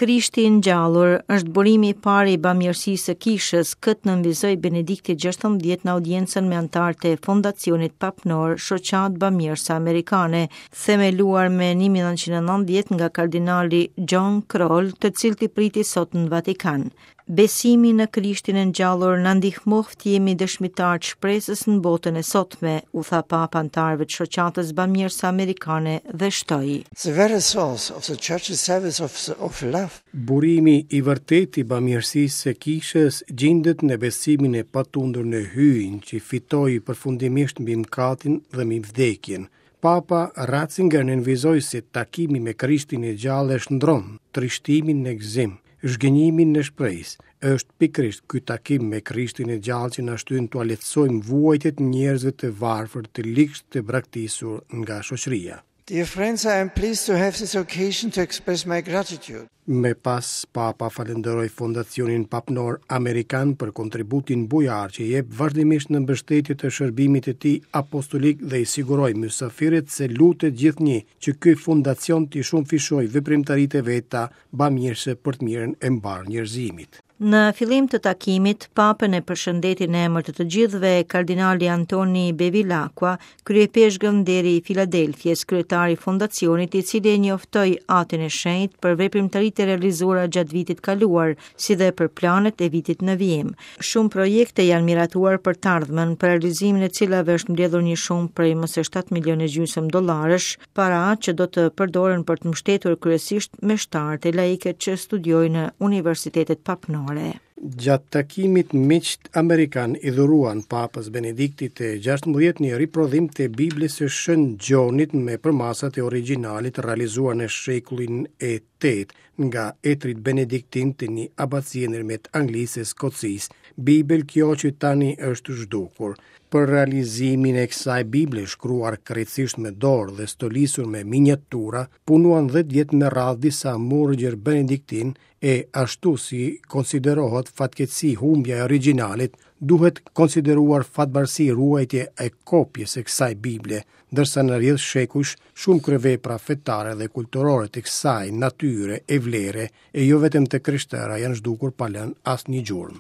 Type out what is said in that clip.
Krishti i ngjallur është burimi i parë i bamirësisë së Kishës, këtë nënvizoi Benedikti XVI në audiencën me anëtarët e Fondacionit Papnor, Shoqatë Bamirëse Amerikane, themeluar me 1990 nga kardinali John Krol, të cilët i priti sot në Vatikan. Besimi në Krishtin e ngjallur na ndihmoftë të jemi dëshmitarë të shpresës në botën e sotme, u tha Papa anëtarëve të Shoqatës Bamirëse Amerikane dhe shtoi. The very source of the church's service of, of love. Burimi i vërtetë i bamirësisë së Kishës gjindet në besimin e patundur në Hyjin që fitoi përfundimisht mbi mëkatin dhe mbi vdekjen. Papa Ratzinger nënvizoi se takimi me Krishtin e gjallë e shndërron trishtimin në gëzim, zhgënjimin në shpresë. Është pikërisht ky takim me Krishtin e gjallë që na shtyn t'ua lehtësojmë vuajtjet njerëzve të varfër, të ligshtë, të braktisur nga shoqëria. Dear friends, I am pleased to have this occasion to express my gratitude. Më pas, Papa falënderoi Fondacionin Papnor Amerikan për kontributin bujar që jep vazhdimisht në mbështetje të shërbimit të tij apostolik dhe i siguroi mysafirët se lutet gjithnjë që ky fondacion t'i shumëfishojë veprimtaritë e veta bamirëse për të mirën e mbarë njerëzimit. Në fillim të takimit, Papën e përshëndeti në emër të të gjithëve kardinali Antoni Bevilacqua, kryeipeshkëv nderi i Filadelfies, kryetar i fondacionit, i cili e njoftoi Atin e Shenjtë për veprimtaritë e realizuara gjatë vitit kaluar, si dhe për planet e vitit në vijim. Shumë projekte janë miratuar për të ardhmen, për realizimin e cilave është mbledhur një shumë prej më se 7 milionë e gjysmë dollarësh, para që do të përdoren për të mbështetur kryesisht meshtarët e laikët që studiojnë në universitetet papnore. Gjatë takimit miqtë amerikanë i dhuruan Papës Benediktit të 16 një riprodhim të Biblës së Shën Gjonit me përmasat e origjinalit realizuar në shekullin e 8 nga etërit benediktinë të një abacie ndërmjet Anglisë e Skocisë, Bibël kjo që tani është zhdukur. Për realizimin e kësaj Bible, shkruar krejtësisht me dorë dhe stolisur me miniatura, punuan 10 vjet me radhë disa murgjër benediktinë e ashtu si konsiderohet fatkeqësi humbja e origjinalit, duhet konsideruar fatbardhësi ruajtja e kopjes së kësaj Bible, ndërsa në rrjedhë shekujsh shumë kryevepra fetare dhe kulturore të kësaj natyre e vlere e jo vetëm të krishtera janë zhdukur pa lënë asnjë gjurmë.